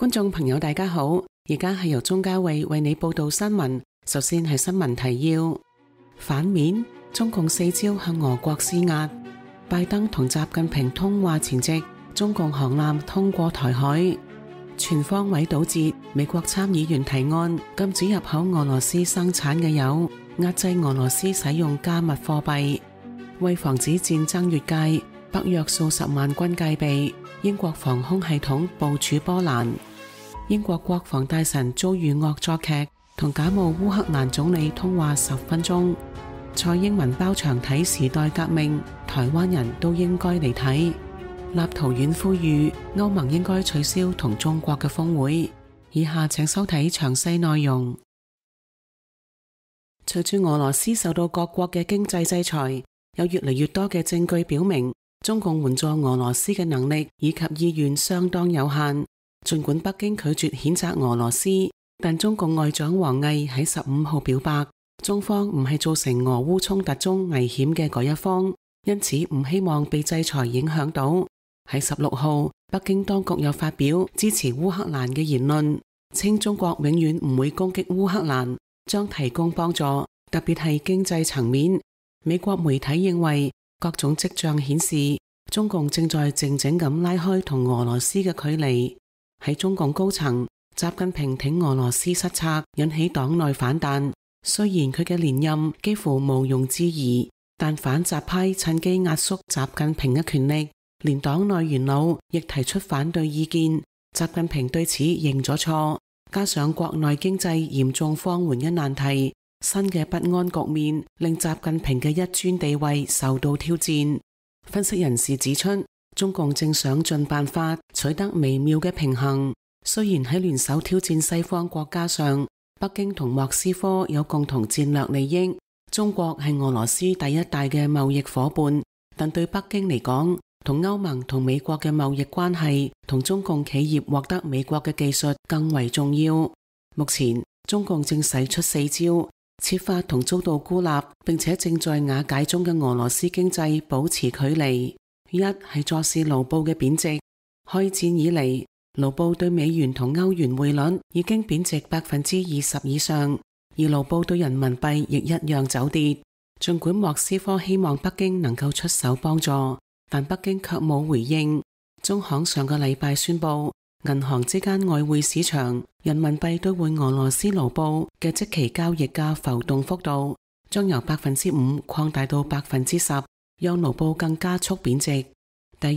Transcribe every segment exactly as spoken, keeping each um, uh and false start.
觀眾朋友大家好，而家係由鍾嘉慧為你報道新聞。首先係新聞提要：反面，中共四招向俄國施壓。拜登同習近平通話前夕，中共航艦通過台海。全方位堵截，美國參議員提案禁止入口俄羅斯生產嘅油，壓制俄羅斯使用加密貨幣。為防止戰爭越界，北約數十萬軍戒備。英國防空系統部署波蘭。英國國防大臣遭遇惡作劇，同假冒烏克蘭總理通話十分鐘。蔡英文包場睇時代革命，台灣人都應該嚟睇。立陶宛呼籲歐盟應該取消同中國嘅峰會。以下請收睇詳細內容。隨住俄羅斯受到各國嘅經濟制裁，有越嚟越多嘅證據表明，中共援助俄羅斯嘅能力以及意願相當有限。儘管北京拒絕譴責俄羅斯，但中共外長王毅喺十五號表白，中方唔係造成俄烏衝突中危險嘅嗰一方，因此唔希望被制裁影響到。喺十六號，北京當局又發表支持烏克蘭嘅言論，稱中國永遠唔會攻擊烏克蘭，將提供幫助，特別係經濟層面。美國媒體認為，各種跡象顯示，中共正在靜靜咁拉開同俄羅斯嘅距離。喺中共高層，習近平挺俄羅斯失策，引起黨內反彈。雖然佢嘅連任幾乎毋庸置疑，但反習派趁機壓縮習近平嘅權力，連黨內元老亦提出反對意見。習近平對此認咗錯，加上國內經濟嚴重放緩嘅難題，新嘅不安局面令習近平嘅一尊地位受到挑戰。分析人士指出，中共正想盡辦法取得微妙嘅平衡。雖然喺聯手挑戰西方國家上，北京同莫斯科有共同戰略利益，中國係俄羅斯第一大嘅貿易夥伴，但對北京嚟講，同歐盟同美國嘅貿易關係同中共企業獲得美國嘅技術更為重要。目前中共正使出四招，設法同遭到孤立並且正在瓦解中嘅俄羅斯經濟保持距離。一係坐視盧布嘅貶值。開戰以嚟，盧布對美元同歐元匯率已經貶值百分之二十以上，而盧布對人民幣亦一樣走跌。儘管莫斯科希望北京能夠出手幫助，但北京卻冇回應。中行上個禮拜宣布，銀行之間外匯市場人民幣兌換俄羅斯盧布嘅即期交易價浮動幅度將由百分之五擴大到百分之十，讓盧布更加速貶值。第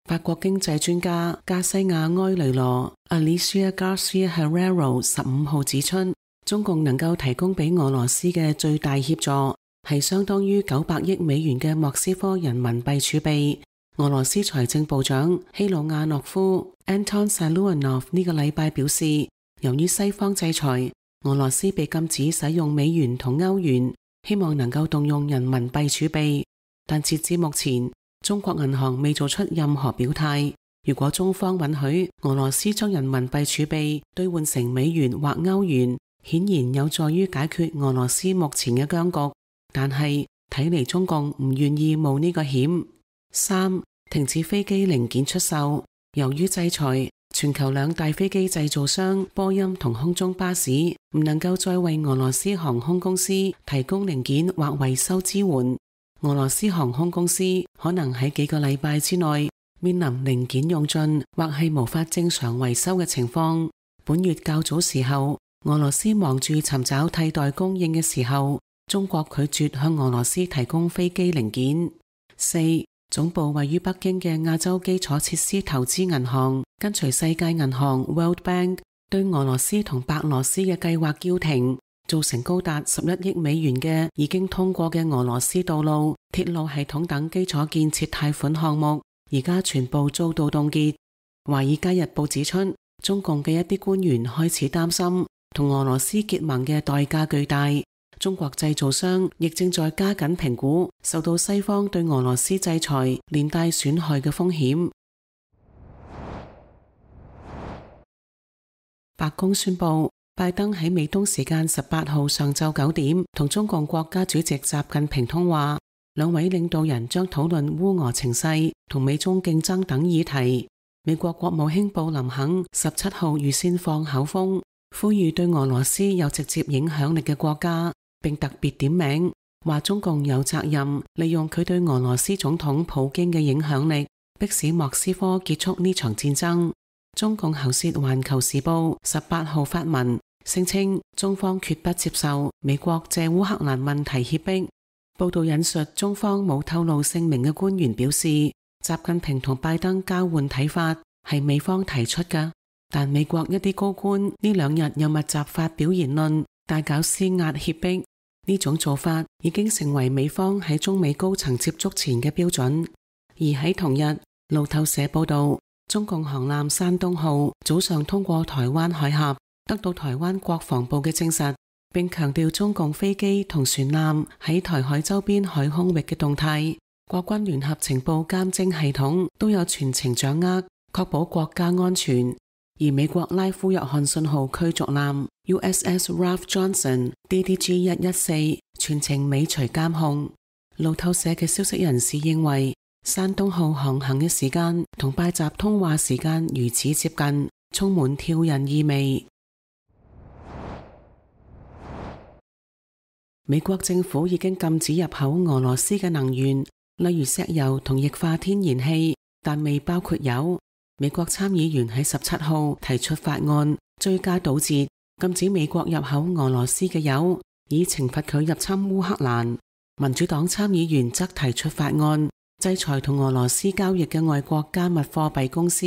二，法國經濟專家加西亞埃雷羅 Alicia Garcia Herrero 十五號指出，中共能夠提供俾俄羅斯嘅最大協助係相當於九百億美元嘅莫斯科人民幣儲備。俄羅斯財政部長希魯亞諾夫 Anton Siluanov 呢個禮拜表示，由於西方制裁，俄羅斯被禁止使用美元同歐元，希望能夠動用人民幣儲備，但截至目前，中國銀行未做出任何表態。如果中方允許俄羅斯將人民幣儲備兌換成美元或歐元，顯然有助於解決俄羅斯目前嘅僵局。但係睇嚟中共唔願意冒呢個險。三、停止飛機零件出售。由於制裁，全球兩大飛機製造商波音同空中巴士唔能夠再為俄羅斯航空公司提供零件或維修支援。俄羅斯航空公司可能喺幾個禮拜之內面臨零件用盡或係無法正常維修嘅情況。本月較早時候，俄羅斯忙住尋找替代供應嘅時候，中國拒絕向俄羅斯提供飛機零件。四、總部位於北京嘅亞洲基礎設施投資銀行跟隨世界銀行 World Bank 對俄羅斯同白羅斯嘅計劃叫停，造成高達十一億美元嘅已經通過嘅俄羅斯道路、鐵路系統等基礎建設貸款項目，而家全部遭到凍結。華爾街日報指出，中共嘅一啲官員開始擔心同俄羅斯結盟嘅代價巨大。中國製造商亦正在加緊評估受到西方對俄羅斯制裁連帶損害嘅風險。白宮宣布，拜登喺美東時間十八號上晝九點同中共國家主席習近平通話，兩位領導人將討論烏俄情勢同美中競爭等議題。美國國務卿布林肯十七號預先放口風，呼籲對俄羅斯有直接影響力嘅國家，並特別點名話中共有責任利用佢對俄羅斯總統普京嘅影響力，迫使莫斯科結束呢場戰爭。中共喉舌《環球時報》十八號發文聲稱，中方決不接受美國借烏克蘭問題脅迫。報道引述中方冇透露姓名嘅官員表示，習近平同拜登交換睇法係美方提出嘅，但美國一啲高官呢兩日又密集發表言論，大搞施壓脅迫。呢種做法已經成為美方喺中美高層接觸前嘅標準。而喺同日，路透社報道，中共航艦山東號早上通過台灣海峽，得到台灣國防部嘅證實，並強調中共飛機同船艦喺台海周邊海空域嘅動態，國軍聯合情報監偵系統都有全程掌握，確保國家安全。而美國拉夫約翰遜號驅逐艦 U S S Ralph Johnson D D G 一一四全程尾隨監控。路透社嘅消息人士認為，山東號航行嘅時間同拜習通話時間如此接近，充滿挑釁意味。美國政府已經禁止入口俄羅斯嘅能源，例如石油同液化天然氣，但未包括油。美國參議員喺十七號提出法案，追加堵截，禁止美國入口俄羅斯嘅油，以懲罰佢入侵烏克蘭。民主黨參議員則提出法案，制裁同俄羅斯交易嘅外國加密貨幣公司。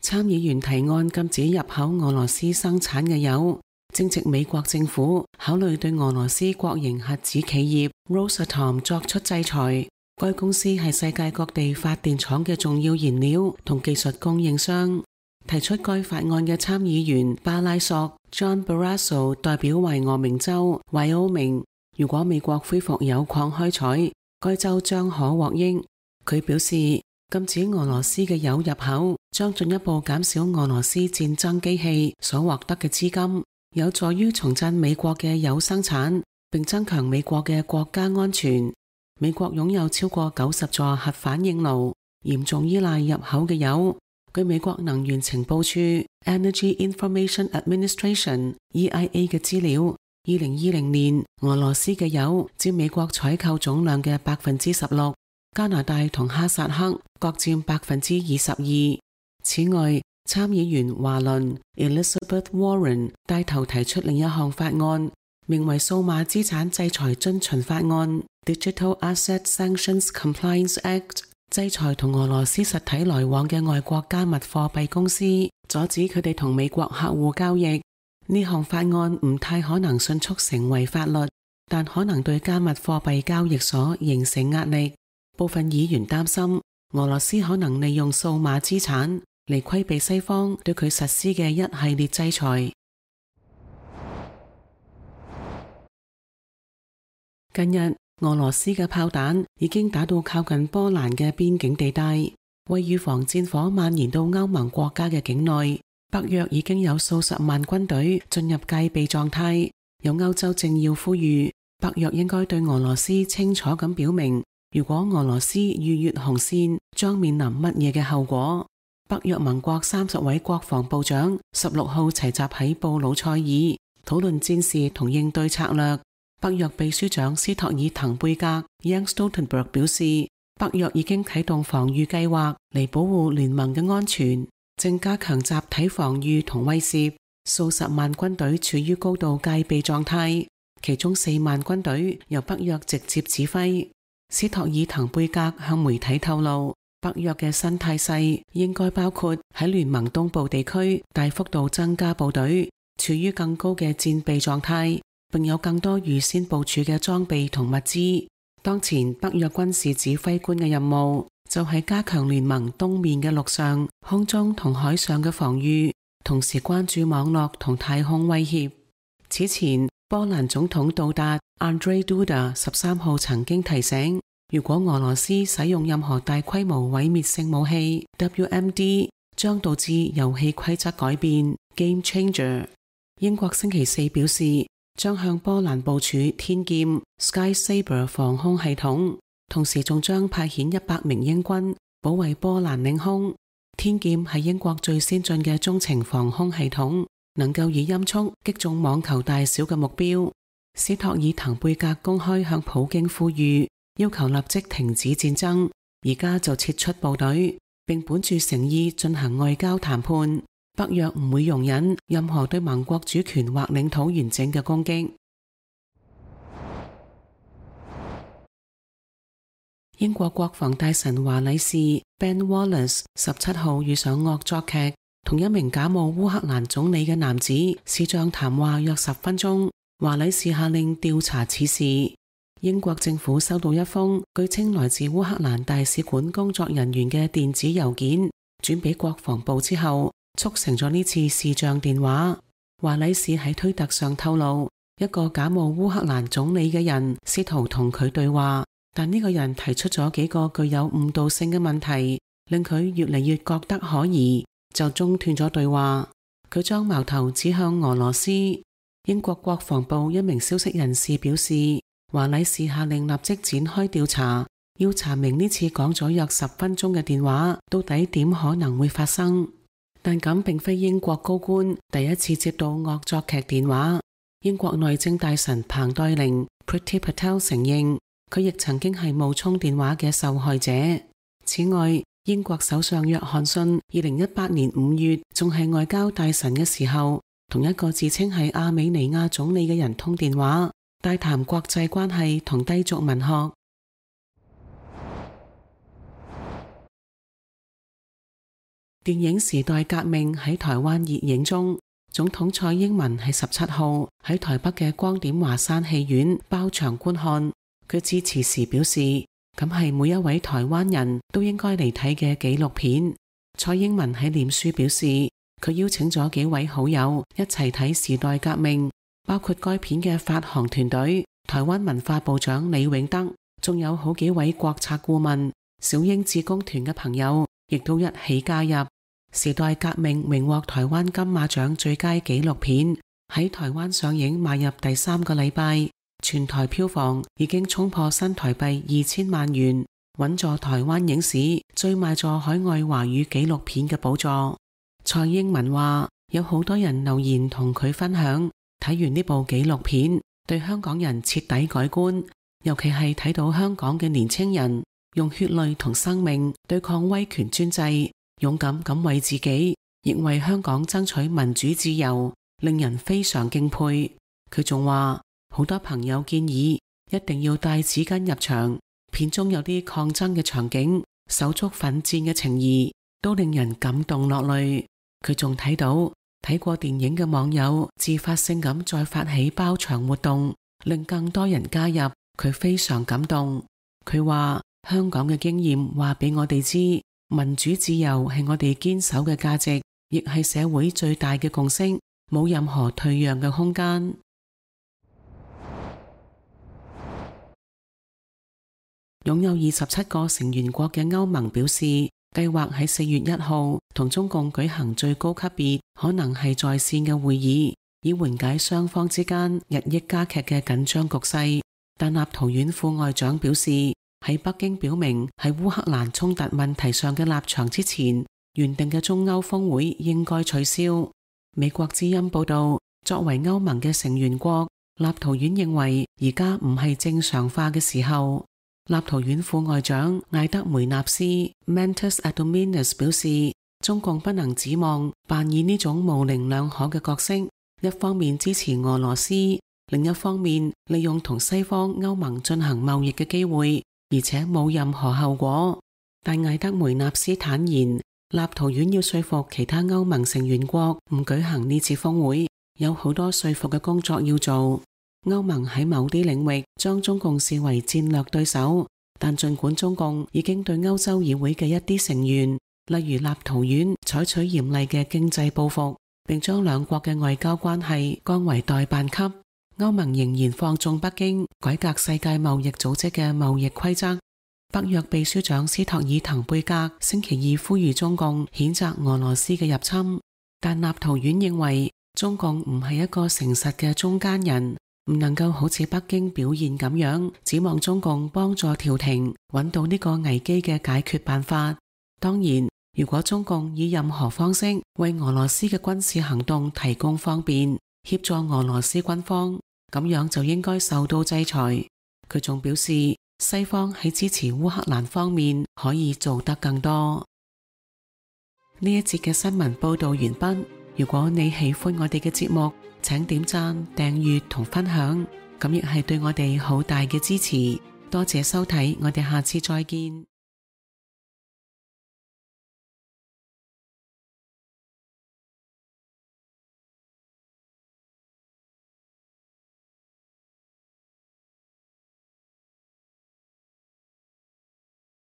參議員提案禁止入口俄羅斯生產嘅油，正值美國政府考慮對俄羅斯國營核子企業 Rosatom 作出制裁。該公司係世界各地發電廠嘅重要燃料同技術供應商。提出該法案嘅參議員巴拉索 John Barrasso 代表維俄明州 Wyoming， 如果美國恢復鈾礦開採，該州將可獲益。佢表示，禁止俄羅斯嘅鈾入口將進一步減少俄羅斯戰爭機器所獲得嘅資金，有助於重振美國嘅鈾生產，並增強美國嘅國家安全。美國擁有超過九十座核反應爐，嚴重依賴入口嘅鈾。據美國能源情報處 Energy Information Administration E I A 嘅資料，二零二零年俄羅斯嘅鈾佔美國採購總量嘅百分之十六，加拿大同哈薩克各佔百分之二十二。此外，參議員華倫 Elizabeth Warren 帶頭提出另一項法案，名為數碼資產制裁遵循法案 Digital Asset Sanctions Compliance Act， 制裁同俄羅斯實體來往嘅外國加密貨幣公司，阻止佢哋同美國客戶交易。呢項法案唔太可能迅速成為法律，但可能對加密貨幣交易所形成壓力。部分議員擔心俄羅斯可能利用數碼資產嚟規避西方對佢實施嘅一系列制裁。近日，俄羅斯嘅炮彈已經打到靠近波蘭嘅邊境地帶，為預防戰火蔓延到歐盟國家嘅境內，北約已經有數十萬軍隊進入戒備狀態。有歐洲政要呼籲，北約應該對俄羅斯清楚咁表明，如果俄羅斯逾越紅線，將面臨乜嘢嘅後果。北約盟國三十位國防部長十六號齊集喺布魯塞爾，討論戰事同應對策略。北約秘書長斯托爾滕貝格 Jens Stoltenberg 表示，北約已經啟動防禦計劃嚟保護聯盟嘅安全，正加強集體防禦同威懾。數十萬軍隊處於高度戒備狀態，其中四萬軍隊由北約直接指揮。斯托爾滕貝格向媒體透露，北約嘅新態勢應該包括喺聯盟東部地區大幅度增加部隊，處於更高嘅戰備狀態，並有更多預先部署嘅裝備同物資。當前北約軍事指揮官嘅任務就係加強聯盟東面嘅陸上、空中同海上嘅防禦，同時關注網絡同太空威脅。此前，波蘭總統杜達 Andrzej Duda 十三號曾經提醒，如果俄羅斯使用任何大規模毀滅性武器 W M D， 將導致遊戲規則改變 Game Changer。英國星期四表示，將向波蘭部署天劍 Sky Saber 防空系統，同時仲將派遣一百名英軍保衛波蘭領空。天劍係英國最先進嘅中程防空系統，能夠以音速擊中網球大小嘅目標。斯托爾滕貝格公開向普京呼籲，要求立即停止戰爭，而家就撤出部隊，並本住誠意進行外交談判。北約唔會容忍任何對盟國主權或領土完整嘅攻擊。英國國防大臣華禮士 Ben Wallace 十七號遇上惡作劇，同一名假冒烏克蘭總理嘅男子視像談話約十分鐘。華禮士下令調查此事。英國政府收到一封據稱來自烏克蘭大使館工作人員嘅電子郵件，轉俾國防部之後，促成咗呢次視像電話。華禮士喺推特上透露，一個假冒烏克蘭總理嘅人試圖同佢對話，但呢個人提出咗幾個具有誤導性嘅問題，令佢越嚟越覺得可疑，就中斷咗對話。佢將矛頭指向俄羅斯。英國國防部一名消息人士表示，華禮士下令立即展開調查，要查明呢次講咗約十分鐘嘅電話到底點可能會發生。但咁並非英國高官第一次接到惡作劇電話。英國內政大臣彭黛玲 Priti Patel 承認，佢亦曾經係冒充電話嘅受害者。此外，英國首相約翰遜二零一八年五月仲係外交大臣嘅時候，同一個自稱係亞美尼亞總理嘅人通電話，大談國際關係同低俗文學。電影《時代革命》喺台灣熱映中，總統蔡英文喺十七號喺台北嘅光點華山戲院包場觀看。佢致辭時表示，咁係每一位台灣人都應該嚟睇嘅紀錄片。蔡英文喺臉書表示，佢邀請咗幾位好友一齊睇《時代革命》，包括該片嘅發行團隊、台灣文化部長李永德，仲有好幾位國策顧問、小英志工團嘅朋友，亦都一起加入。《時代革命》榮獲台灣金馬獎最佳紀錄片，喺台灣上映邁入第三個禮拜，全台票房已經衝破新台幣二千萬元，穩坐台灣影史最賣座海外華語紀錄片嘅寶座。蔡英文話，有好多人留言同佢分享，睇完呢部紀錄片對香港人徹底改觀，尤其係睇到香港嘅年輕人用血淚同生命對抗威權專制，勇敢咁為自己亦為香港爭取民主自由，令人非常敬佩。佢仲話，好多朋友建議一定要帶紙巾入場，片中有啲抗爭嘅場景，手足奮戰嘅情誼都令人感動落淚。佢仲睇到睇過電影嘅網友自發性咁再發起包場活動，令更多人加入，佢非常感動。佢話，香港嘅經驗話俾我哋知，民主自由係我哋堅守嘅價值，亦係社會最大嘅共識，冇任何退讓嘅空間。擁有二十七個成員國嘅歐盟表示，計劃喺四月一號同中共舉行最高級別可能係在線嘅會議，以緩解雙方之間日益加劇嘅緊張局勢。但立陶宛副外長表示，喺北京表明喺烏克蘭衝突問題上嘅立場之前，原定嘅中歐峰會應該取消。美國之音報道，作為歐盟嘅成員國，立陶宛認為而家唔係正常化嘅時候。立陶宛副外長艾德梅納斯 Mantas Adominas 表示，中共不能指望扮演呢種模棱兩可嘅角色，一方面支持俄羅斯，另一方面利用同西方歐盟進行貿易嘅機會，而且冇任何後果。但艾德梅納斯坦言，立陶宛要說服其他歐盟成員國唔舉行呢次峰會，有好多說服嘅工作要做。歐盟喺某啲領域將中共視為戰略對手，但盡管中共已經對歐洲議會嘅一啲成員，例如立陶宛，採取嚴厲嘅經濟報復，並將兩國嘅外交關係降為代辦級，歐盟仍然放縱北京改革世界貿易組織嘅貿易規則。北約秘書長斯托爾滕貝格星期二呼籲中共譴責俄羅斯嘅入侵，但立陶宛認為中共唔係一個誠實嘅中間人，唔能夠好似北京表現咁樣，指望中共幫助調停，揾到呢個危機嘅解決辦法。當然，如果中共以任何方式為俄羅斯嘅軍事行動提供方便，協助俄羅斯軍方，咁樣就應該受到制裁。佢仲表示，西方喺支持烏克蘭方面可以做得更多。呢一節嘅新聞報道完畢。如果你喜歡我哋嘅節目，請點讚、訂閱同分享，咁亦係對我哋好大嘅支持。多謝收睇，我哋下次再見。